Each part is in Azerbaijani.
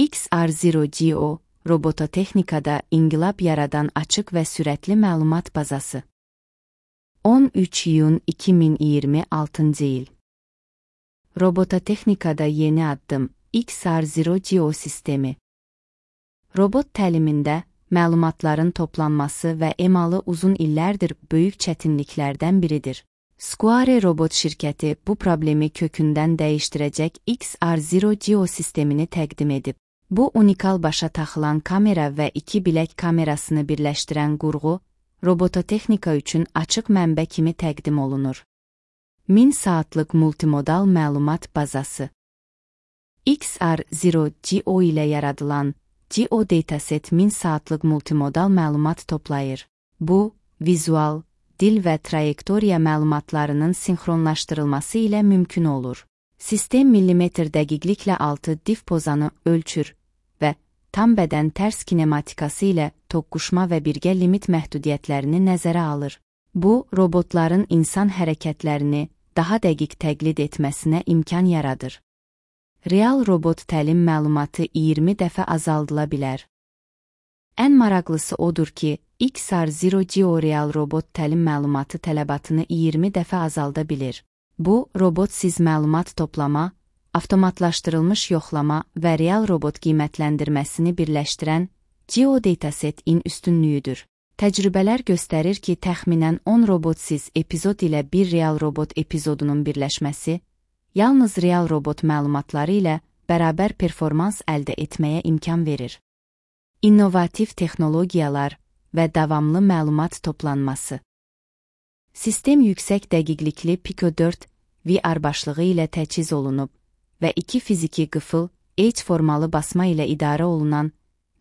XR0GO, robototexnikada inqilab yaradan açıq və sürətli məlumat bazası. 13 iyun 2026 il. Robototexnikada yeni addım XR0GO sistemi. Robot təlimində məlumatların toplanması və emalı uzun illərdir böyük çətinliklərdən biridir. Square Robot şirkəti bu problemi kökündən dəyişdirəcək XR0GO sistemini təqdim edib. Bu unikal başa taxılan kamera və iki bilək kamerasını birləşdirən qurğu, robototexnika üçün açıq mənbə kimi təqdim olunur. 1000 saatlıq multimodal məlumat bazası. XR0GO ilə yaradılan GO Dataset 1000 saatlıq multimodal məlumat toplayır. Bu, vizual, dil və trayektoriya məlumatlarının sinxronlaşdırılması ilə mümkün olur. Sistem millimetr dəqiqliklə 6 dif pozanı ölçür və tam bədən tərs kinematikası ilə toqquşma və birgə limit məhdudiyyətlərini nəzərə alır. Bu, robotların insan hərəkətlərini daha dəqiq təqlid etməsinə imkan yaradır. Real robot təlim məlumatı 20 dəfə azaldıla bilər. Ən maraqlısı odur ki, XR0GO real robot təlim məlumatı tələbatını 20 dəfə azalda bilir. Bu, robotsiz məlumat toplama, avtomatlaşdırılmış yoxlama və real robot qiymətləndirməsini birləşdirən GO Dataset-in üstünlüyüdür. Təcrübələr göstərir ki, təxminən 10 robotsiz epizod ilə bir real robot epizodunun birləşməsi, yalnız real robot məlumatları ilə bərabər performans əldə etməyə imkan verir. İnnovativ texnologiyalar və davamlı məlumat toplanması. Sistem yüksək dəqiqlikli Pico 4 VR başlığı ilə təchiz olunub və 2 fiziki qıfıl, H formalı basma ilə idarə olunan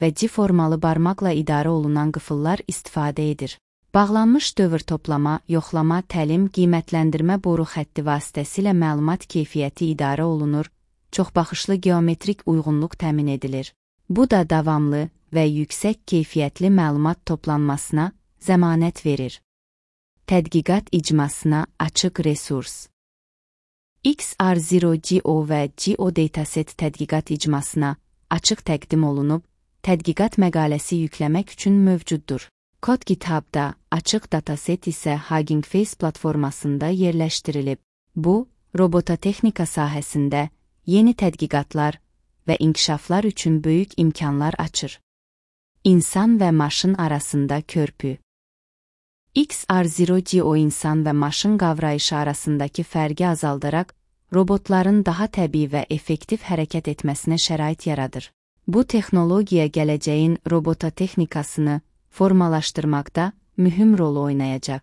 və G formalı barmaqla idarə olunan qıfıllar istifadə edir. Bağlanmış dövr toplama, yoxlama, təlim, qiymətləndirmə boru xətti vasitəsilə məlumat keyfiyyəti idarə olunur, çoxbaxışlı geometrik uyğunluq təmin edilir. Bu da davamlı və yüksək keyfiyyətli məlumat toplanmasına zəmanət verir. Tədqiqat icmasına açıq resurs. XR0GO və GO Dataset tədqiqat icmasına açıq təqdim olunub, tədqiqat məqaləsi yükləmək üçün mövcuddur. Kod GitHub-da, açıq dataset isə Hugging Face platformasında yerləşdirilib. Bu, robototexnika sahəsində yeni tədqiqatlar və inkişaflar üçün böyük imkanlar açır. İnsan və maşın arasında körpü. XR0GO insan və maşın qavrayışı arasındakı fərqi azaldaraq, robotların daha təbii və effektiv hərəkət etməsinə şərait yaradır. Bu texnologiya gələcəyin robototexnikasını formalaşdırmaqda mühüm rol oynayacaq.